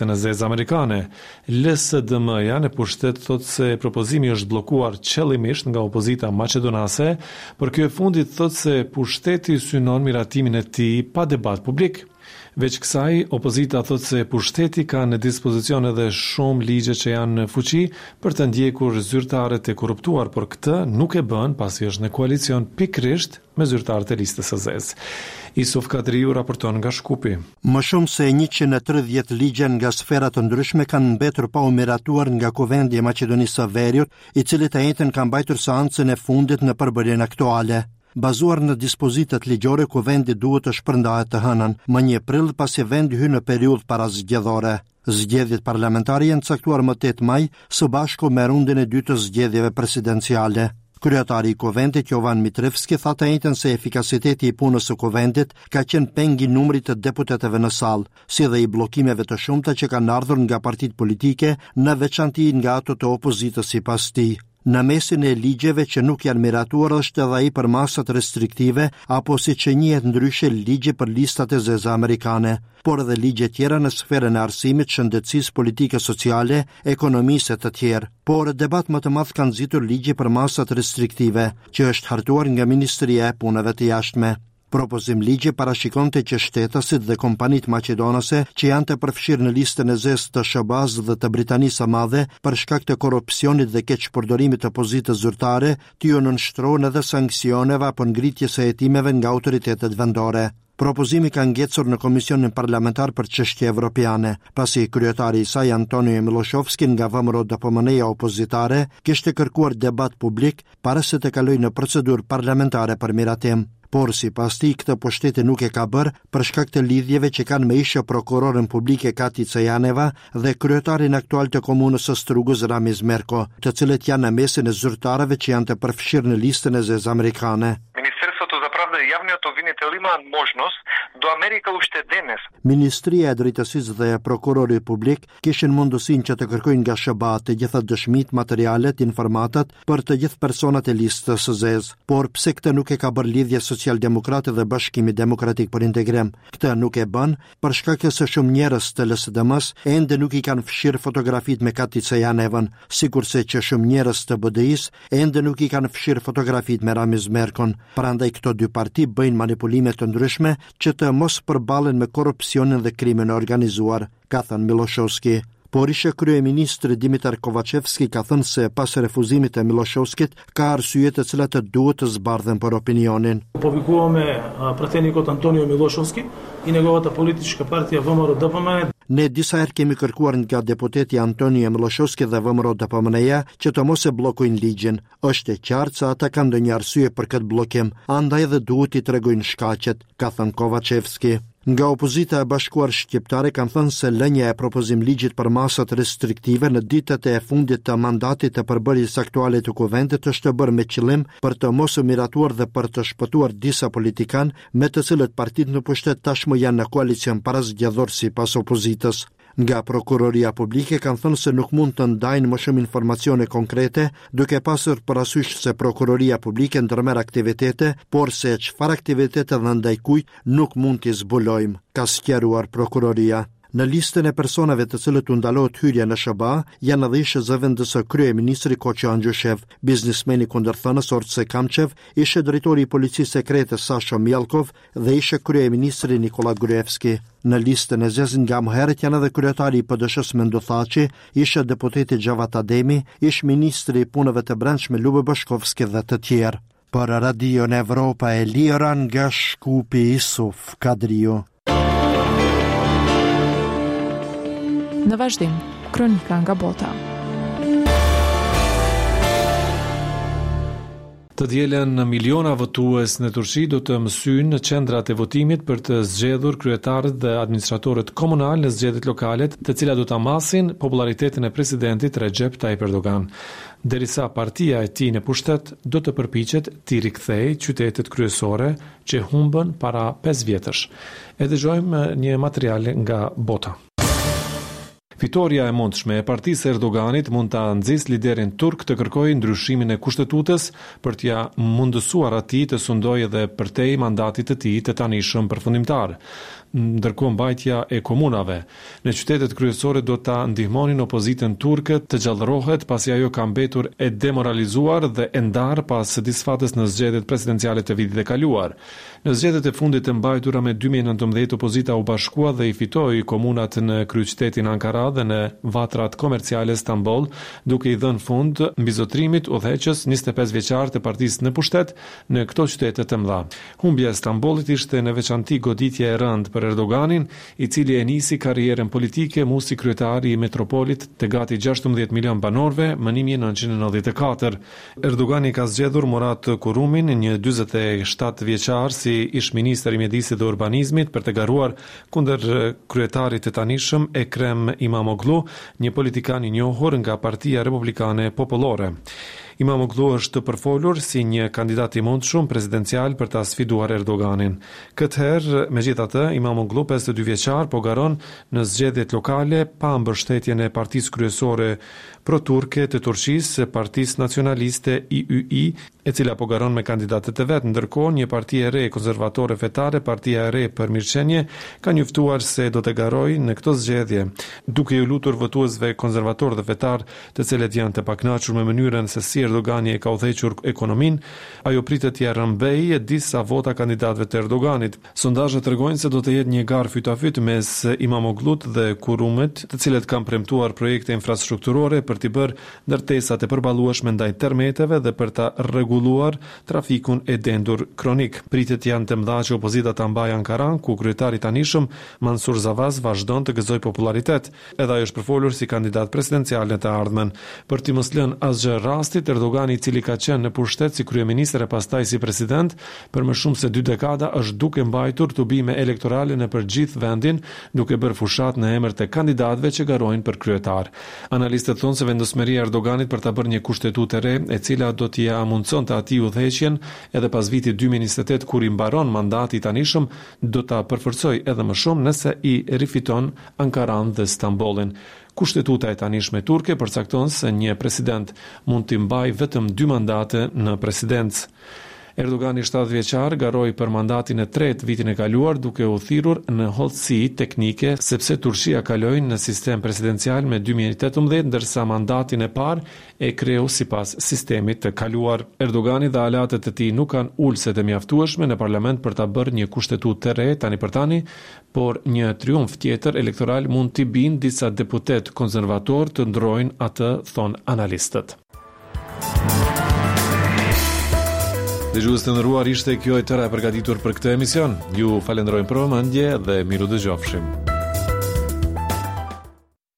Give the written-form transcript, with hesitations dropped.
E zezë amerikane. LSDM-ja në pushtet thotë se propozimi është bllokuar qëllimisht nga opozita maqedonase, por kjo e fundit thotë se pushteti synon miratimin e tij pa debat publik. Veç kësaj, opozita thotë se pushteti ka në dispozicion edhe shumë ligje që janë në fuqi për të ndjekur zyrtarët e korruptuar, por këtë nuk e bën pasi është në koalicion pikërisht me zyrtarët e listës së zezë. Isuf Kadriu raporton nga Shkupi. Më shumë se 130 ligje nga sfera të ndryshme kanë mbetur pa u miratuar nga Kuvendi i Maqedonisë së Veriut, i cili të enjten ka mbajtur seancën e fundit në përbërjen aktuale. Bazuar në dispozitat ligjore, Kuvendi duhet të shpërndahet të hënën, më 1 prill pasi vendi hyn në periudhë parazgjedhore. Zgjedhjet parlamentare janë caktuar më 8 maj, së bashku me rundin e dytë të zgjedhjeve presidenciale. Kryetari i Kuvendit Jovan Mitrevski tha të enjten se efikasiteti i punës së Kuvendit ka qenë peng i numrit të deputetëve në sallë, si dhe i bllokimeve të shumta që kanë ardhur nga partitë politike, në veçanti nga ato të opozitës sipas tij. Në mesin e ligjeve që nuk janë miratuar është edhe ai për masat restriktive apo siç njihet ndryshe ligji për listat e zeza amerikane, por edhe ligje tjera në sferën e arsimit, shëndetësisë, politikës sociale, ekonomisë e të tjerë. Por debat më të madh ka nxitur ligji për masat restriktive, që është hartuar nga Ministria e Punëve të Jashtme. Propozim ligji parashikonte që shtetasit dhe kompanitë maqedonase që janë të përfshirë në listën e zezë të SHBA-së dhe të Britanisë së Madhe për shkak të korrupsionit dhe keqpërdorimit të pozitës zyrtare, t'iu nënshtrohen edhe sanksioneve apo ngritjes së hetimeve nga autoritetet vendore. Propozimi ka ngecur në Komisionin Parlamentar për Çështje Evropiane, pasi kryetari i saj Antonio Milloshovski nga VMRO-DPMNE-ja opozitare kishte kërkuar debat publik para se të kalojë në procedurë parlamentare për miratim. Por, sipas tij, këtë pushteti nuk e ka bërë për shkak të lidhjeve që kanë me ish prokuroren publike Katica Janeva dhe kryetarin aktual të komunës së Strugës Ramiz Merko, të cilët janë në mesin e zyrtarëve që janë të përfshirë në listën e zezë amerikane. Министерството за правда и јавниот обвинител имаат можност до Америка уште денес. Ministria e Drejtësisë dhe prokurori publik kishin mundësinë që të kërkojnë nga SHBA të gjitha dëshmitë, materialet, informatat për të gjithë personat e listës së zezë. Por pse këtë nuk e ka bërë Lidhja Socialdemokrate dhe Bashkimi Demokratik për Integrim? Këtë nuk e bën për shkak se shumë njerëz të LSDM-së ende nuk i kanë fshirë fotografitë me Katica Janevën, sikurse që shumë njerëz të BDI-së ende nuk i kanë fshirë fotografitë me Ramiz Merkon. Prandaj këto dy parti bëjnë manipulime të ndryshme që të mos përballen me korrupsionin dhe krimin e organizuar ka thënë Milloshoski. Por ish kryeministri Dimitar Kovaçevski ka thënë se pas refuzimit të Milloshoskit ka arsye të cilat duhet të zbardhen për opinionin. Повикуваме пратеникот Антонио Милошовски и неговата политичка партија ВМРО ДПМН. Ne disa herë kemi kërkuar nga deputeti Antonio Milloshoski dhe VMRO DPMNE-ja që të mos e bllokojnë ligjin. Është e qartë se ata kanë ndonjë arsye për këtë bllokim, andaj edhe duhet t'i tregojnë shkaqet, ka thënë Kovaçevski. Nga opozita e bashkuar shqiptare kanë thënë se lënia e propozim ligjit për masat restriktive në ditët e fundit të mandatit të përbërjes aktuale të kuvendit është bërë me qëllim për të mos u miratuar dhe për të shpëtuar disa politikanë me të cilët partitë në pushtet tashmë janë në koalicion parazgjedhor sipas opozitës. Nga Prokuroria Publike kanë thënë se nuk mund të ndajnë më shumë informacione konkrete, duke pasur parasysh se Prokuroria Publike ndërmerr aktivitete, por se çfarë aktivitete dhe ndaj kujt nuk mund t'i zbulojmë, ka sqaruar prokuroria. Në listën e personave të cilët u ndalohet hyrja në SHBA janë edhe ish zëvendës kryeministri Koço Angjushev, biznesmeni kundërthënës Orce Kamçev, ish drejtori i policisë sekrete Sasho Mijallkov dhe ish kryeministri Nikola Gruevski. Në listën e zezë nga më herët janë edhe kryetari i PDSH-së Mendu Thaçi, ish deputeti Xhevat Ademi, ish ministri i Punëve të Brendshme Lube Bashkovski dhe të tjerë. Për Radion Evropa e Lira nga Shkupi Isuf Kadriu. Në vazhdim, kronika nga bota. Të dielën miliona votues në Turqi do të mësyjnë në qendrat e votimit për të zgjedhur kryetarët dhe administratorët komunalë në zgjedhjet lokale, të cilat do ta masin popullaritetin e presidentit Recep Tayyip Erdogan, derisa partia e tij në pushtet do të përpiqet t'i rikthejë qytetet kryesore që humbën para pesë vjetësh. E dëgjojmë një material nga bota. Fitorja e mundshme e partisë së Erdoganit mund ta nxisë liderin turk të kërkojë ndryshimin e kushtetutës për t'ia mundësuar atij të sundojë edhe përtej mandatit të tij të tanishëm përfundimtar. Ndërkohë mbajtja e komunave në qytetet kryesore do ta ndihmonin opozitën turke të gjallërohet pasi ajo ka mbetur e demoralizuar dhe e ndarë pas disfatës në zgjedhjet presidenciale të vitit të kaluar. Në zgjedhjet e fundit të mbajtura me 2019 opozita u bashkua dhe i fitoi komunat në kryeqytetin Ankara dhe në vatrat komerciale Stamboll, duke i dhënë fund mbizotërimit udhëheqës 25 vjeçar të partisë në pushtet në këto qytete të mëdha. Humbja e Stambollit ishte në veçanti goditje e rëndë për Erdoganin, i cili e nisi karrierën politike mu si kryetar i metropolit të gati 16 milion banorëve më 1994. Erdogani ka zgjedhur Murat Kurumin, një 47 vjeçar si ish-ministër i Mjedisit dhe Urbanizmit për të garuar kundër kryetarit të tanishëm Ekrem Imamoglu, një politikan i njohur nga Partia Republikane Popullore. Imamoglu është përfolur si një kandidat i mundshëm presidencial për ta sfiduar Erdoganin. Këtë herë, megjithatë, Imamoglu, 52 vjeçar, po garon në zgjedhjet lokale pa mbështetjen e partisë kryesore pro-turke të Turqisë, Partisë Nacionaliste IYI, e cila po garon me kandidatët e vet. Ndërkohë, një parti e re konservatore fetare, Partia e Re për Mirëqenie, ka njoftuar se do të garojë në këto zgjedhje, duke iu lutur votuesve konservatorë dhe fetarë, të cilët janë të pakënaqur me mënyrën se si Erdogani e ka udhëhequr ekonominë, ajo pritet t'ia rrëmbejë disa vota kandidatëve të Erdoganit. Sondazhet tregojnë se do të jetë një garë fyt a fyt mes Imamoglut dhe Kurumit, të cilët kanë premtuar projekte infrastrukturore për t'i bërë ndërtesat e përballueshme ndaj tërmeteve dhe për ta rregulluar trafikun e dendur kronik. Pritjet janë të mëdha që opozita ta mbajë Ankaranë, ku kryetari i tanishëm, Mansur Zavas vazhdon të gëzojë popullaritet. Edhe ai është përfolur si kandidat presidencial në të ardhmen. Për t'i mos lënë asgjë rastit, Erdogani i cili ka qenë në pushtet si kryeministër e pastaj si president për më shumë se dy dekada është duke mbajtur tubime elektorale nëpër gjithë vendin, duke bërë fushatë në emër të kandidatëve që garojnë për kryetar. Analistët thonë se vendosmëria e Erdoganit për ta bërë një kushtetutë të re, e cila do t'ia mundësonte atij udhëheqjen edhe pas vitit 2028 kur i mbaron mandati i tanishëm, do ta përforcojë edhe më shumë nëse i rifiton Ankaranë dhe Stambollin. Kushtetuta e tanishme turke përcakton se një president mund t'i mbajë vetëm dy mandate në presidencë. Erdogani 70 vjeçar garoi për mandatin e tretë vitin e kaluar duke u thirrur në hollësi teknike sepse Turqia kaloi në sistem presidencial me 2018 ndërsa mandatin e parë e kreu sipas sistemit të kaluar. Erdogani dhe aleatët e tij nuk kanë ulëse të mjaftueshme në parlament për ta bërë një kushtetutë të re tani për tani, por një triumf tjetër elektoral mund t'i bindë disa deputetë konservatorë të ndërrojnë atë, thonë analistët. Dëgjues të nderuar, ishte kjo e tëra e përgatitur për këtë emision. Ju falenderojmë për vëmendje dhe mirudëgjofshim.